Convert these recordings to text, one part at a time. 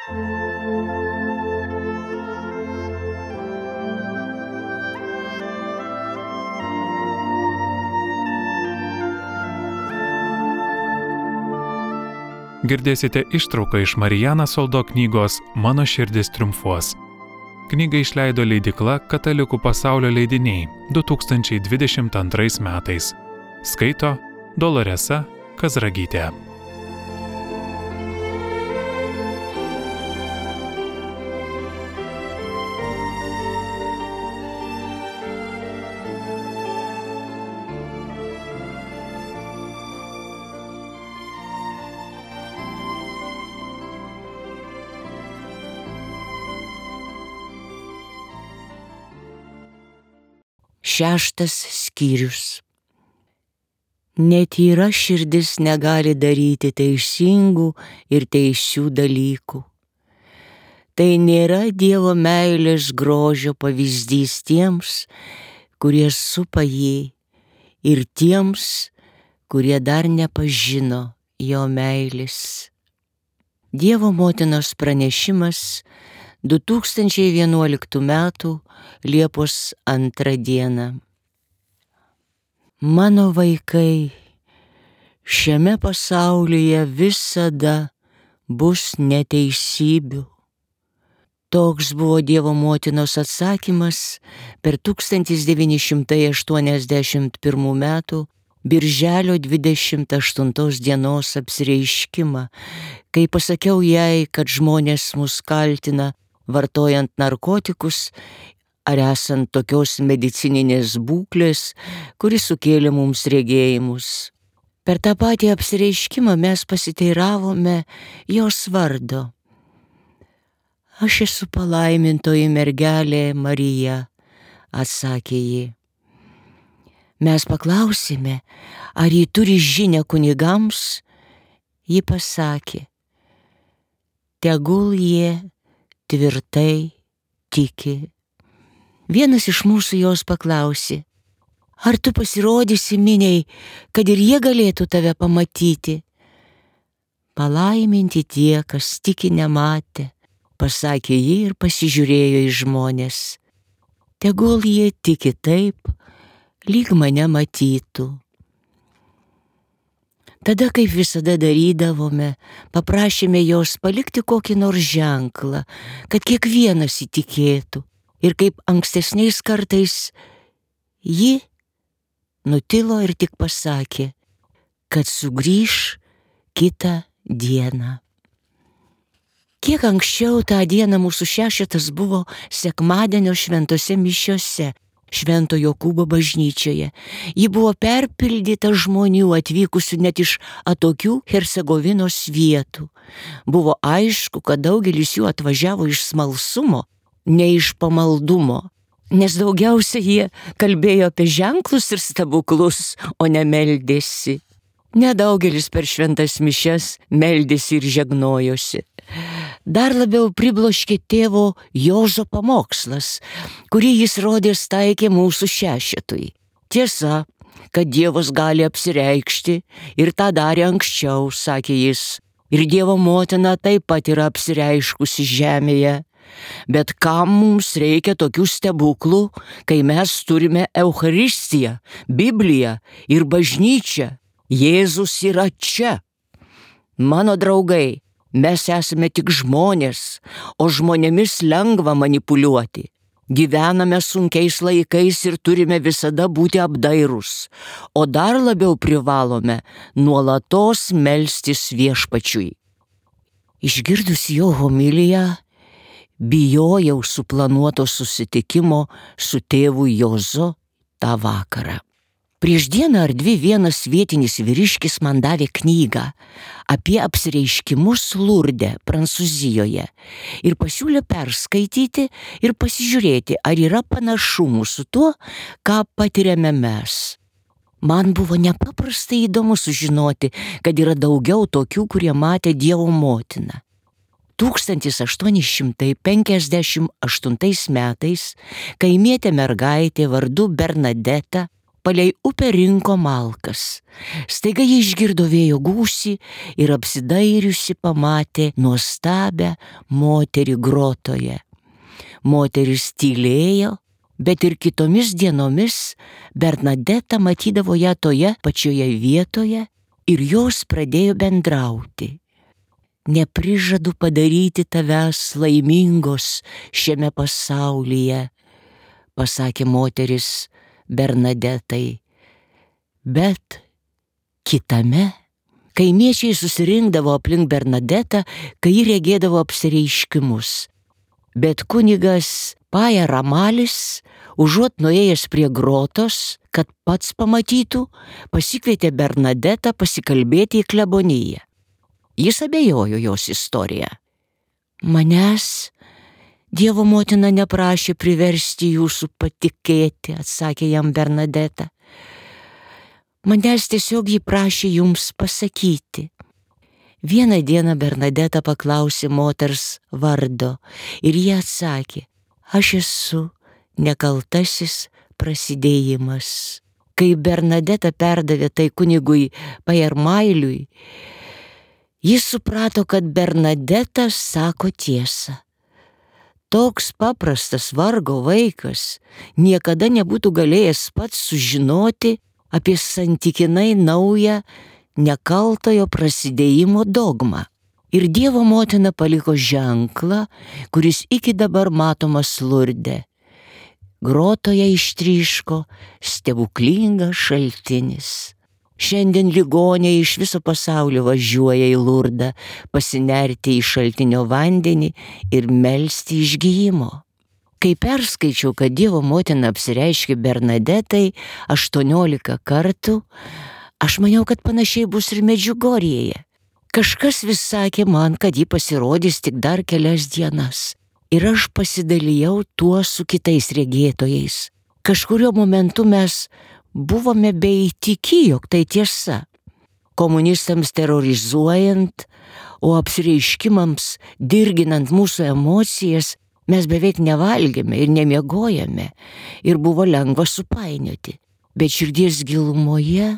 Girdėsite ištrauką iš Marijaną Soldo knygos Mano širdis triumfuos. Knygą išleido leidykla Katalikų pasaulio leidiniai 2022 metais. Skaito Doloresa Kazragytė. Šeštas skyrius. Netyra širdis negali daryti teisingų ir teisių dalykų. Tai nėra Dievo meilės grožio pavyzdys tiems, kurie supa jį, ir tiems, kurie dar nepažino jo meilės. Dievo motinos pranešimas 2011 m. Liepos 2 d. Mano vaikai, šiame pasaulyje visada bus neteisybių. Toks buvo Dievo motinos atsakymas per 1981 m. Birželio 28 dienos apsireiškimą, kai pasakiau jai, kad žmonės mus kaltina vartojant narkotikus ar esant tokios medicininės būklės, kuri sukėlė mums regėjimus. Per tą patį apsireiškimą mes pasiteiravome jos vardo. Aš esu palaimintoji mergelė Marija, atsakė ji. Mes paklausėme, ar ji turi žinią kunigams, ji pasakė, tegul jie tvirtai tiki. Vienas iš mūsų jos paklausė, ar tu pasirodysi miniai, kad ir jie galėtų tave pamatyti? Palaiminti tie, kas tiki nematė, pasakė ji ir pasižiūrėjo į žmones. Tegul jie tiki taip, lyg mane matytų. Tada, kaip visada darydavome, paprašėme jos palikti kokį nors ženklą, kad kiekvienas įtikėtų. Ir kaip ankstesniais kartais, ji nutilo ir tik pasakė, kad sugrįš kitą dieną. Kiek anksčiau tą dieną mūsų šešetas buvo sekmadienio šventose mišiose, Švento Jokūbo bažnyčioje. Ji buvo perpildyta žmonių atvykusių net iš atokių Hercegovinos vietų. Buvo aišku, kad daugelis jų atvažiavo iš smalsumo, ne iš pamaldumo, nes daugiausia jie kalbėjo apie ženklus ir stebuklus, o ne meldėsi. Nedaugelis per šventas mišias meldėsi ir žegnojosi. Dar labiau pribloškė tėvo Jozo pamokslas, kurį jis rodės taikė mūsų šešetui. Tiesa, kad Dievas gali apsireikšti ir tą darė anksčiau, sakė jis, ir Dievo motina taip pat yra apsireiškusi žemėje. Bet kam mums reikia tokių stebuklų, kai mes turime Eucharistiją, Bibliją ir bažnyčią? Jėzus yra čia. Mano draugai, mes esame tik žmonės, o žmonėmis lengva manipuliuoti. Gyvename sunkiais laikais ir turime visada būti apdairūs, o dar labiau privalome nuolatos melstis Viešpačiui. Išgirdus jo homiliją, bijojau suplanuoto susitikimo su tėvu Jozu tą vakarą. Prieš dieną ar dvi vienas vietinis vyriškis man davė knygą apie apsireiškimus Lurde, Prancūzijoje, ir pasiūlė perskaityti ir pasižiūrėti, ar yra panašumų su tuo, ką patiriame mes. Man buvo nepaprastai įdomu sužinoti, kad yra daugiau tokių, kurie matė Dievo motiną. 1858 metais kaimietė mergaitė vardu Bernadeta palei upę rinko malkas. Staiga ji išgirdo vėjo gūsį ir apsidairiusi pamatė nuostabią moterį grotoje. Moteris tylėjo, bet ir kitomis dienomis Bernadeta matydavo ją toje pačioje vietoje ir jos pradėjo bendrauti. Neprižadu padaryti tavęs laimingos šiame pasaulyje, pasakė moteris Bernadetai. Bet kitame kaimiečiai susirinkdavo aplink Bernadetą, kai ji regėdavo apsireiškimus. Bet kunigas Paja Ramalis, užuot nuėjęs prie grotos, kad pats pamatytų, pasikvietė Bernadetą pasikalbėti į kleboniją. Jis abejojo jos istoriją. Manęs Dievo motina neprašė priversti jūsų patikėti, atsakė jam Bernadeta. Manęs tiesiog jį prašė jums pasakyti. Vieną dieną Bernadeta paklausė moters vardo ir jie atsakė, aš esu nekaltasis prasidėjimas. Kai Bernadeta perdavė tai kunigui Pajarmailiui, jis suprato, kad Bernadeta sako tiesą. Toks paprastas vargo vaikas niekada nebūtų galėjęs pats sužinoti apie santykinai naują nekaltojo prasidėjimo dogmą. Ir Dievo motina paliko ženklą, kuris iki dabar matomas Lurde. Grotoje ištryško stebuklingas šaltinis. Šiandien ligoniai iš viso pasaulio važiuoja į Lurdą pasinerti į šaltinio vandenį ir melsti išgijimo. Kai perskaičiau, kad Dievo motina apsireiškė Bernadetai 18 kartų, aš maniau, kad panašiai bus ir Medžiugorjėje. Kažkas vis sakė man, kad ji pasirodys tik dar kelias dienas. Ir aš pasidalijau tuo su kitais regėtojais. Kažkurio momentu mes buvome beįtiki, jog tai tiesa. Komunistams terrorizuojant, o apsireiškimams dirginant mūsų emocijas, mes beveik nevalgėme ir nemiegojame ir buvo lengva supainioti. Bet širdies gilumoje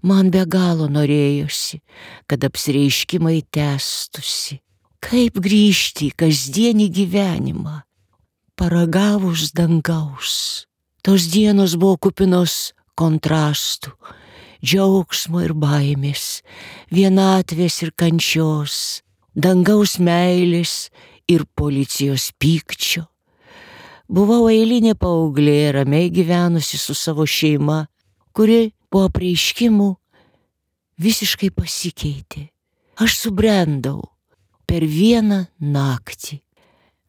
man be galo norėjosi, kad apsireiškimai tęstusi. Kaip grįžti į kasdienį gyvenimą, paragavus dangaus. Tos dienos buvo kupinos kontrastų, džiaugsmo ir baimės, vienatvės ir kančios, dangaus meilės ir policijos pykčio. Buvau eilinė paauglė, ramiai gyvenusi su savo šeima, kuri po apreiškimų visiškai pasikeitė. Aš subrendau per vieną naktį.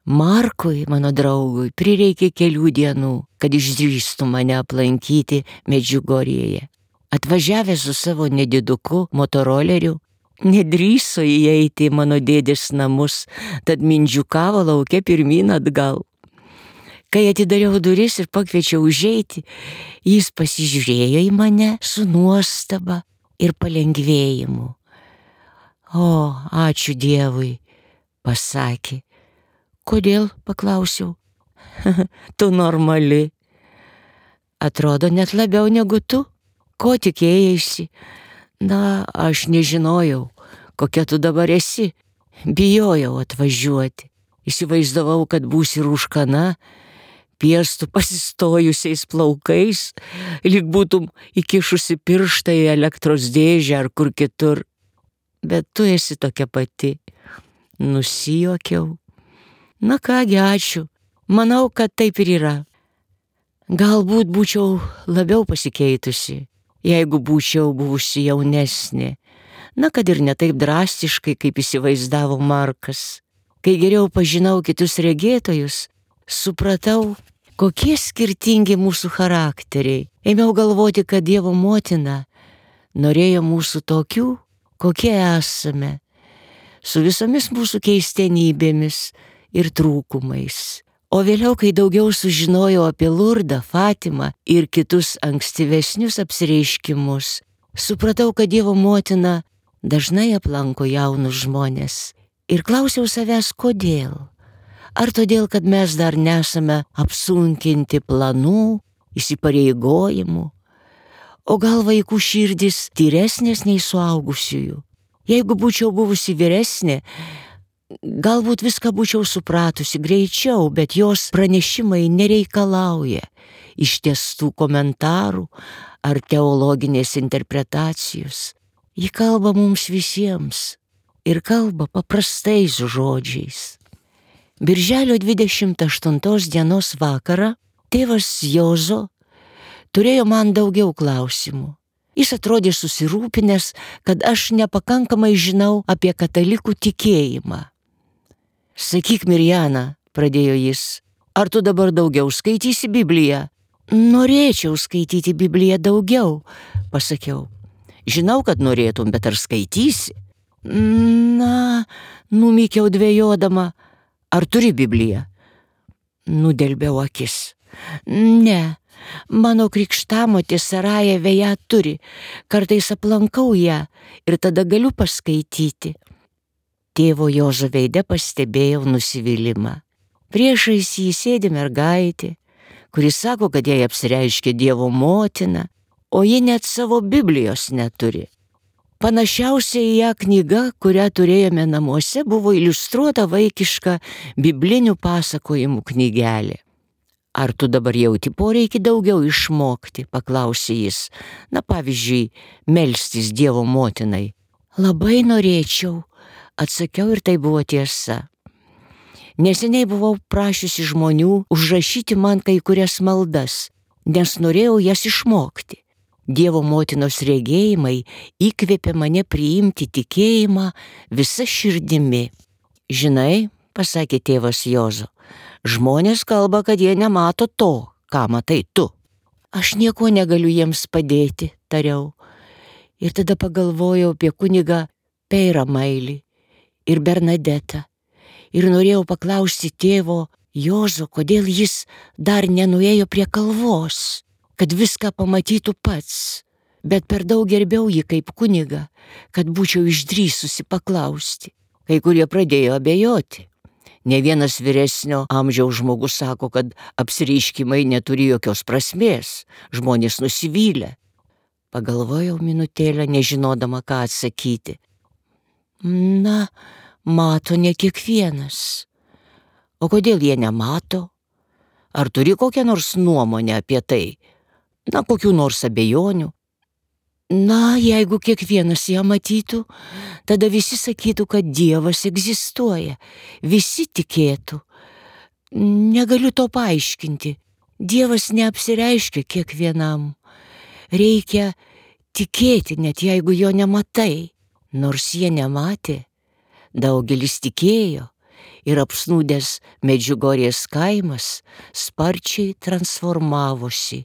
Markui, mano draugui, prireikė kelių dienų, kad išdrįstų mane aplankyti Medžiugorjėje. Atvažiavęs su savo nediduku motoroleriu, nedrįso įeiti į mano dėdės namus, tad mindžiukavo lauke pirmyn atgal. Kai atidariau duris ir pakviečiau užeiti, jis pasižiūrėjo į mane su nuostaba ir palengvėjimu. O, ačiū Dievui, pasakė. Kodėl, paklausiau. Tu normali. Atrodo net labiau negu tu. Ko tikėjaisi? Na, aš nežinojau, kokia tu dabar esi. Bijojau atvažiuoti. Įsivaizdavau, kad būsi rūškana, piestų pasistojusiais plaukais, lyg būtum įkišusi pirštą į elektros dėžę ar kur kitur. Bet tu esi tokia pati. Nusijuokiau. Na kągi, ačiū. Manau, kad taip ir yra. Galbūt būčiau labiau pasikeitusi, jeigu būčiau buvusi jaunesnė. Na, kad ir ne taip drastiškai, kaip įsivaizdavo Markas. Kai geriau pažinau kitus regėtojus, supratau, kokie skirtingi mūsų charakteriai. Ėmiau galvoti, kad Dievo motina norėjo mūsų tokių, kokie esame, su visomis mūsų keistenybėmis ir trūkumais. O vėliau, kai daugiau sužinojau apie Lurdą, Fatimą ir kitus ankstyvesnius apsireiškimus, supratau, kad Dievo motina dažnai aplanko jaunus žmonės. Ir klausiau savęs, kodėl. Ar todėl, kad mes dar nesame apsunkinti planų, įsipareigojimų, O gal vaikų širdis tyresnės nei suaugusiųjų? Jeigu būčiau buvusi vyresnė, galbūt viską būčiau supratusi greičiau, bet jos pranešimai nereikalauja ištiestų komentarų ar teologinės interpretacijos. Ji kalba mums visiems ir kalba paprastais žodžiais. Birželio 28 dienos vakarą tėvas Jozo turėjo man daugiau klausimų. Jis atrodė susirūpinęs, kad aš nepakankamai žinau apie katalikų tikėjimą. Sakyk, Mirjana, pradėjo jis, ar tu dabar daugiau skaitysi Bibliją? Norėčiau skaityti Bibliją daugiau, pasakiau. Žinau, kad norėtum, bet ar skaitysi? Na, numykiau dvejodama. Ar turi Bibliją? Nudelbiau akis. Ne, mano krikštamotė Sarajeve ją turi. Kartais aplankau ją ir tada galiu paskaityti. Tėvo Jozo veide pastebėjau nusivylimą. Priešais jį sėdi mergaitė, kuri sako, kad jai apsireiškė Dievo motina, o ji net savo Biblijos neturi. Panašiausia į ją knyga, kurią turėjome namuose, buvo iliustruota vaikiška biblinių pasakojimų knygelė. Ar tu dabar jauti poreikį daugiau išmokti, paklausė jis. Na, pavyzdžiui, melstis Dievo motinai. Labai norėčiau, atsakiau ir tai buvo tiesa. Neseniai buvau prašiusi žmonių užrašyti man kai kurias maldas, nes norėjau jas išmokti. Dievo motinos regėjimai įkvėpė mane priimti tikėjimą visa širdimi. Žinai, pasakė tėvas Jozo, žmonės kalba, kad jie nemato to, ką matai tu. Aš nieko negaliu jiems padėti, tariau. Ir tada pagalvojau apie kunigą Peirą Mailį ir Bernadetą. Ir norėjau paklausti tėvo Jozo, kodėl jis dar nenuėjo prie kalvos, kad viską pamatytų pats, bet per daug gerbiau jį kaip kunigą, kad būčiau išdrįsusi paklausti. Kai kurie pradėjo abejoti. Ne vienas vyresnio amžiaus žmogus sako, kad apsireiškimai neturi jokios prasmės, žmonės nusivylę. Pagalvojau minutėlę, nežinodama, ką atsakyti. Na, mato ne kiekvienas. O kodėl jie nemato? Ar turi kokią nors nuomonę apie tai? Na, kokių nors abejonių? Na, jeigu kiekvienas ją matytų, tada visi sakytų, kad Dievas egzistuoja. Visi tikėtų. Negaliu to paaiškinti. Dievas neapsireiškia kiekvienam. Reikia tikėti, net jeigu jo nematai. Nors jie nematė, daugelis tikėjo ir apsnūdęs Medžiugorjės kaimas sparčiai transformavosi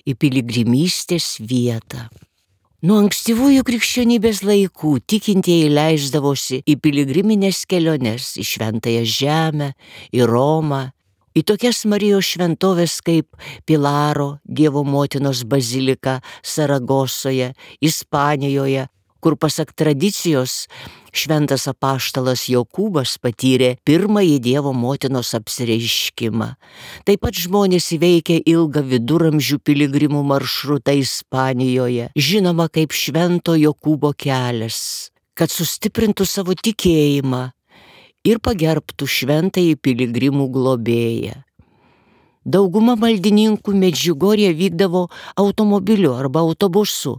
į piligrimystės vietą. Nuo ankstyvųjų krikščionybės laikų tikintieji leisdavosi į piligriminės keliones į Šventąją Žemę, į Romą, į tokias Marijos šventovės kaip Pilaro, Dievo motinos bazilika Saragosoje, Ispanijoje, kur pasak tradicijos šventas apaštalas Jokūbas patyrė pirmąjį Dievo motinos apsireiškimą. Taip pat žmonės įveikė ilgą viduramžių piligrimų maršrutą Ispanijoje, žinoma kaip Švento Jokūbo kelias, kad sustiprintų savo tikėjimą ir pagerbtų šventąjį piligrimų globėją. Dauguma maldininkų Medžiugorje vykdavo automobiliu arba autobusu,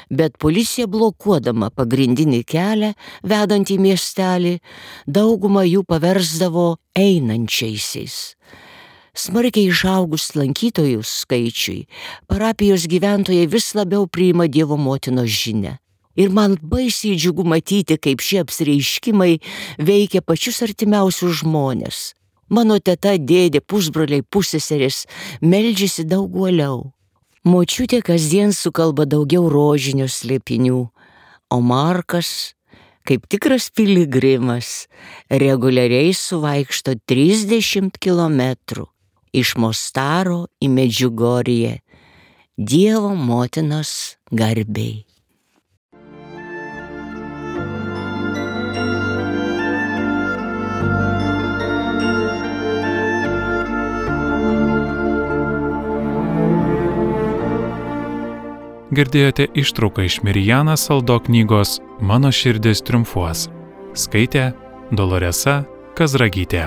bet policija blokuodama pagrindinį kelią vedantį miestelį, daugumą jų paversdavo einančiaisiais. Smarkiai išaugus lankytojų skaičiui, parapijos gyventojai vis labiau priima Dievo motinos žinią. Ir man baisiai džiugu matyti, kaip šie apsireiškimai veikia pačius artimiausius žmonės. Mano teta, dėdė, pusbroliai, pusseserės meldžiasi daug uoliau. Močiutė kasdien sukalba daugiau rožinio slėpinių, o Markas, kaip tikras piligrimas, reguliariai suvaikšto 30 kilometrų iš Mostaro į Medžiugorję, Dievo motinos garbei. Girdėjote ištrauką iš Marijana Saldo knygos Mano širdis triumfuos. Skaitė Doloresa Kazragytė.